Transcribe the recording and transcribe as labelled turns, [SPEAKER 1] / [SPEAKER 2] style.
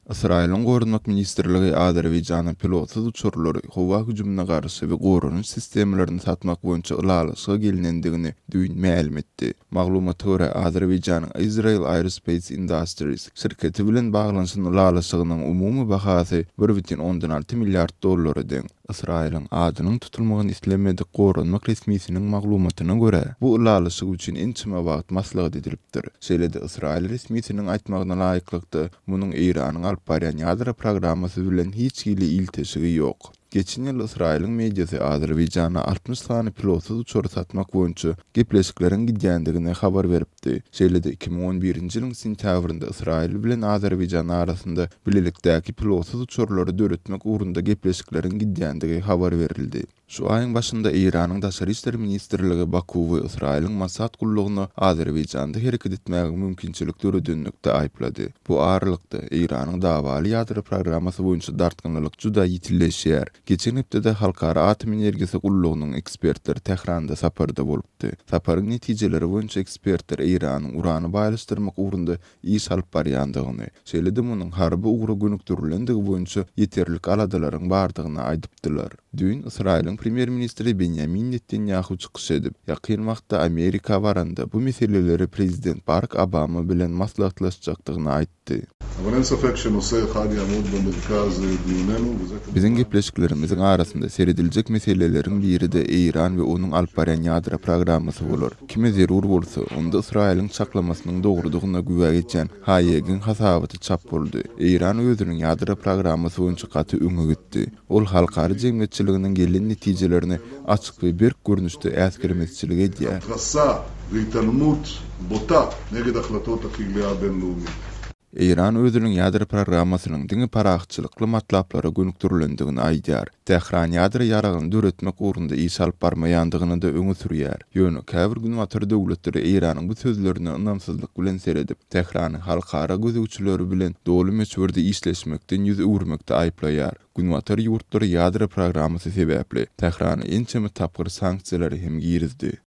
[SPEAKER 1] Ysraýylyň Goranmak ministrligi Azerbaýjana pilotsyz uçarlary, howa hüjümine garşy we goranyş sistemalaryny satmak boýunça ylalaşyga gelnendigini düýn mälim etdi. Maglumata görä, Azerbaýjanyň Israel Aerospace Industries şirketi bilen baglanyşan ylalaşygynyň umumy bahasy 1,6 milliard dollara deň. Ysraýylyň adynyň tutulmagyny islemedik goranmak resmisiniň maglumatyna görä, bu ylalaşyk üçin ençeme wagt maslahat edilipdir. Şeýle-de ysraýyl resmisiniň aýtmagyna laýyklykda, munuň Eýranyň alyp barýan ýadro programmasy bilen hiç hili ilteşigi ýok. Geçen ýyl Ysraýylyň mediasy Azerbaýjana 60 sany pilotsyz uçary satmak boýunça gepleşikleriň gidýändigini habar beripdi. Şeýle-de 2011-nji ýylyň sentýabrynda Ysraýyl bilen Azerbaýjan arasynda bilelikdäki pilotsyz uçarlary döretmek ugrunda gepleşikleriň gidýändigi habar berildi. Şu aýyň başynda Eýranyň Daşary işler ministrligi Bakuwy Ysraýylyň Mossad gullugyna Azerbaýjanda hereket etmäge mümkinçilik döredenlikde aýyplady. Bu aralykda, Eýranyň dawaly ýadro programmasy boýunça dartgynlylyk juda ýitileşýär. Geçen hepdede Halkara atom energiýasy gullugynyň ekspertleri Tähranda saparda bolupdy. Saparyň netijeleri boýunça ekspertler Eýranyň urany baýlaşdyrmak ugrunda iş alyp barýandygyny, şeýle-de munuň harby ugra gönükdirilendigi boýunça ýeterlik aladalaryň bardygyny aýdypdylar. Düýn Ysraýylyň premýer-ministri Benýamin Netanýahu çykyş edip, ýakyn wagtda Amerika baranda bu meseleleri prezident Barak Obama bilen maslahatlaşjakdygyny aýtdy. Biziň gepleşiklerimiziň arasynda serediljek meseleleriň biri-de Eýran we onuň alyp barýan ýadro programmasy bolar. Kime zerur bolsa, onda Ysraýylyň çaklamasynyň dogrudygyna güwä geçýän Haýegiň hasabaty çap boldy. Eýran özüniň ýadro programmasy boýunça gaty öňe gitdi. Ol halkara jemgyýetçiliginiň gelen netijelerini açyk we berk görnüşde äsgermezçilik edýär. Eýran özüniň ýadro programmasynyň diňe parahatçylykly matlaplara gönükdirilendigini aýdýar. Tähran ýadro ýaragyny döretmek ugrunda iş alyp barmaýandygyny-da öňe sürýär. Ýöne käbir günbatar döwletleri Eýranyň bu sözlerine ynamsyzlyk bilen seredip, Tährany halkara gözegçileri bilen doly möçberde işleşmekden ýüz öwürmekde aýyplaýar. Günbatar ýurtlary ýadro programmasy sebäpli Tährana ençeme tapgyr sanksiýalary hem girizdi.